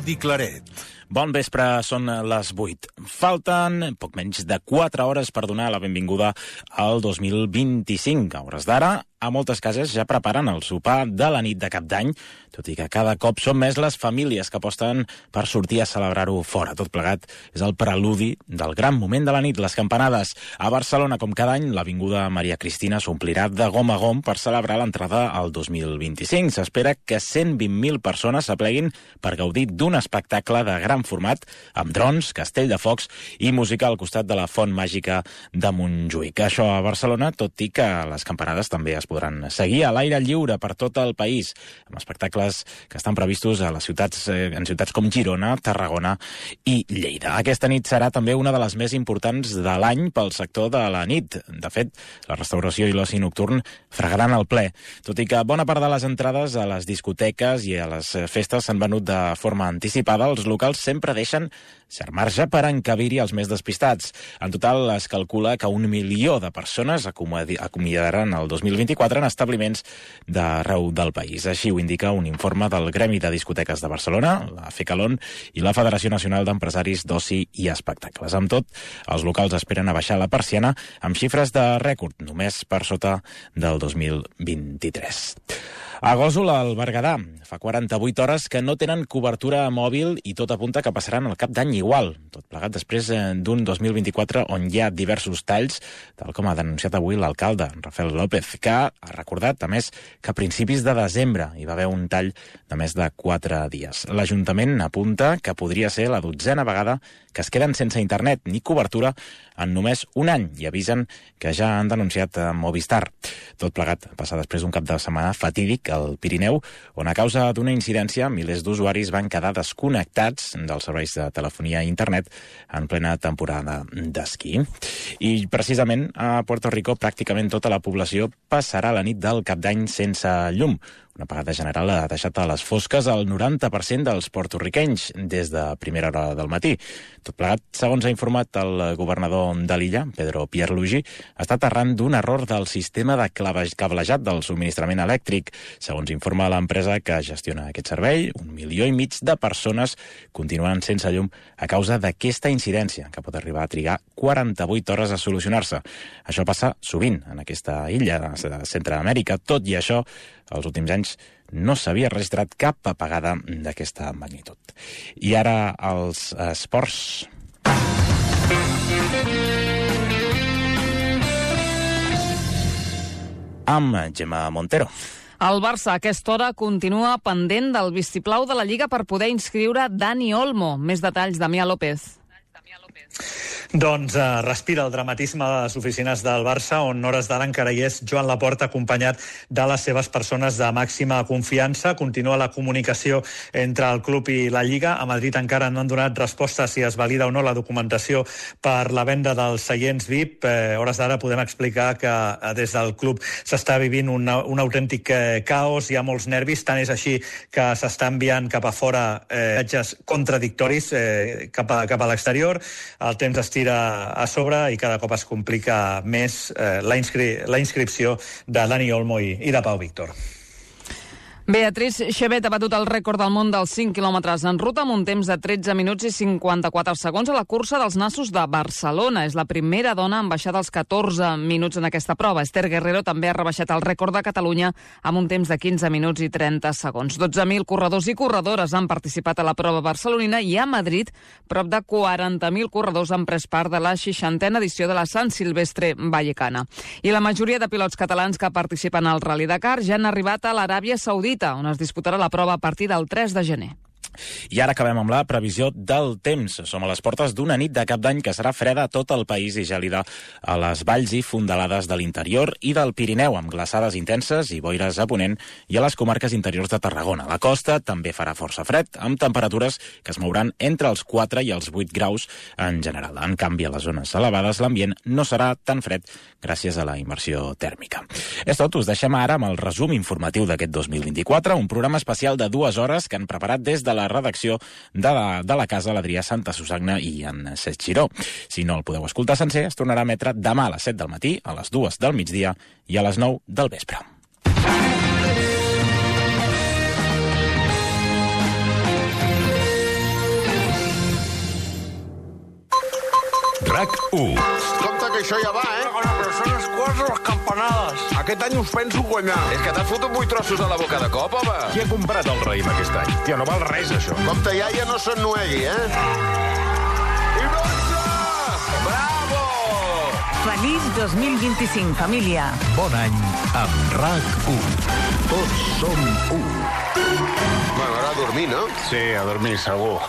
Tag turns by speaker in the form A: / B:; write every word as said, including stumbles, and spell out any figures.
A: Jordi Claret.
B: Bon vespre, són les vuit. Falten poc menys de quatre hores per donar la benvinguda al dos mil vint-i-cinc. A hores d'ara, a moltes cases ja preparen el sopar de la nit de Cap d'Any, tot i que cada cop són més les famílies que aposten per sortir a celebrar-ho fora. Tot plegat és el preludi del gran moment de la nit, les campanades. A Barcelona, com cada any, l'avinguda Maria Cristina s'omplirà de gom a gom per celebrar l'entrada al dos mil vint-i-cinc. S'espera que cent vint mil persones s'apleguin per gaudir d'un espectacle de gran format, amb drons, castell de focs i música al costat de la Font Màgica de Montjuïc. Això a Barcelona, tot i que les campanades també es podran seguir a l'aire lliure per tot el país, amb espectacles que estan previstos a les ciutats, en ciutats com Girona, Tarragona i Lleida. Aquesta nit serà també una de les més importants de l'any pel sector de la nit. De fet, la restauració i l'oci nocturn fregaran el ple, tot i que bona part de les entrades a les discoteques i a les festes s'han venut de forma anticipada. Els locals sempre deixen cert marge per encabir-hi els més despistats. En total es calcula que un milió de persones acomiadaran el dos mil vint-i-quatre en establiments d'arreu del país. Així ho indica un informe del Gremi de Discoteques de Barcelona, la FECALON i la Federació Nacional d'Empresaris d'Oci i Espectacles. Amb tot, els locals esperen a baixar la persiana amb xifres de rècord, només per sota del dos mil vint-i-tres. A Gósol, al Berguedà, fa quaranta-vuit hores que no tenen cobertura mòbil i tot apunta que passaran el Cap d'Any igual. Tot plegat després d'un dos mil vint-i-quatre on hi ha diversos talls, tal com ha denunciat avui l'alcalde, Rafael López, que ha recordat, a més, que a principis de desembre hi va haver un tall de més de quatre dies. L'Ajuntament apunta que podria ser la dotzena vegada que es queden sense internet ni cobertura en només un any i avisen que ja han denunciat a Movistar. Tot plegat passa després d'un cap de setmana fatídic al Pirineu, on a causa d'una incidència milers d'usuaris van quedar desconnectats dels serveis de telefonia i internet en plena temporada d'esquí. I precisament a Puerto Rico pràcticament tota la població passarà la nit del Cap d'Any sense llum. Una apagada general ha deixat a les fosques el noranta per cent dels porto-riquenys des de primera hora del matí. Tot plegat, segons ha informat el governador de l'illa, Pedro Pierluigi, ha estat arran d'un error del sistema de cablejat del subministrament elèctric. Segons informa l'empresa que gestiona aquest servei, un milió i mig de persones continuen sense llum a causa d'aquesta incidència, que pot arribar a trigar quaranta-vuit hores a solucionar-se. Això passa sovint en aquesta illa de Centreamèrica. Tot i això, els últims anys no s'havia registrat cap apagada d'aquesta magnitud. I ara els esports. Amb Gemma Montero.
C: El Barça a aquesta hora continua pendent del vistiplau de la Lliga per poder inscriure Dani Olmo. Més detalls, Damià López.
D: Doncs uh, respira el dramatisme de les oficines del Barça, on hores d'ara encara hi és Joan Laporta, acompanyat de les seves persones de màxima confiança. Continua la comunicació entre el club i la Lliga. A Madrid encara no han donat resposta si es valida o no la documentació per la venda dels seients V I P. Eh, hores d'ara podem explicar que eh, des del club s'està vivint un, un autèntic eh, caos, hi ha molts nervis, tant és així que s'està enviant cap a fora eh, missatges contradictoris eh, cap a, cap a l'exterior. El temps es tira a sobre i cada cop es complica més eh, la, inscri la inscripció de Dani Olmo i, i de Pau Víctor.
C: Beatriz Chebet ha batut el rècord del món dels cinc quilòmetres en ruta amb un temps de tretze minuts i cinquanta-quatre segons a la cursa dels Nassos de Barcelona. És la primera dona en baixar dels catorze minuts en aquesta prova. Esther Guerrero també ha rebaixat el rècord de Catalunya amb un temps de quinze minuts i trenta segons. dotze mil corredors i corredores han participat a la prova barcelonina i a Madrid prop de quaranta mil corredors han pres part de la seixantena edició de la Sant Silvestre Vallecana. I la majoria de pilots catalans que participen al Rally Dakar ja han arribat a l'Aràbia Saudita, on es disputarà la prova a partir del tres de gener.
B: I ara acabem amb la previsió del temps. Som a les portes d'una nit de Cap d'Any que serà freda a tot el país i gèlida a les valls i fondalades de l'interior i del Pirineu, amb glaçades intenses i boires a ponent, i a les comarques interiors de Tarragona. La costa també farà força fred, amb temperatures que es mouran entre els quatre i els vuit graus en general. En canvi, a les zones elevades l'ambient no serà tan fred gràcies a la immersió tèrmica. És tot, us deixem ara amb el resum informatiu d'aquest dos mil vint-i-quatre, un programa especial de dues hores que han preparat des de la redacció de la, de la casa l'Adrià Santa Susagna i en Cesc Giró. Si no el podeu escoltar sencer, es tornarà a emetre demà a les set del matí, a les dues del migdia i a les nou del vespre.
A: RAC u.
E: Compte que això ja va, eh?
F: Però són les quarts de les campanades.
E: Aquest any us penso guanyar.
G: És que t'has fotut vuit trossos a la boca de cop, home.
A: Qui ha comprat el raïm aquest any? Tia, no val res, això.
E: Compte, iaia, no s'ennuegui, eh?
G: I dotze! Bravo!
H: Feliç dos mil vint-i-cinc, família.
A: Bon any amb RAC u. Tots som u.
E: Bueno, ara a dormir, no?
F: Sí, a dormir, segur.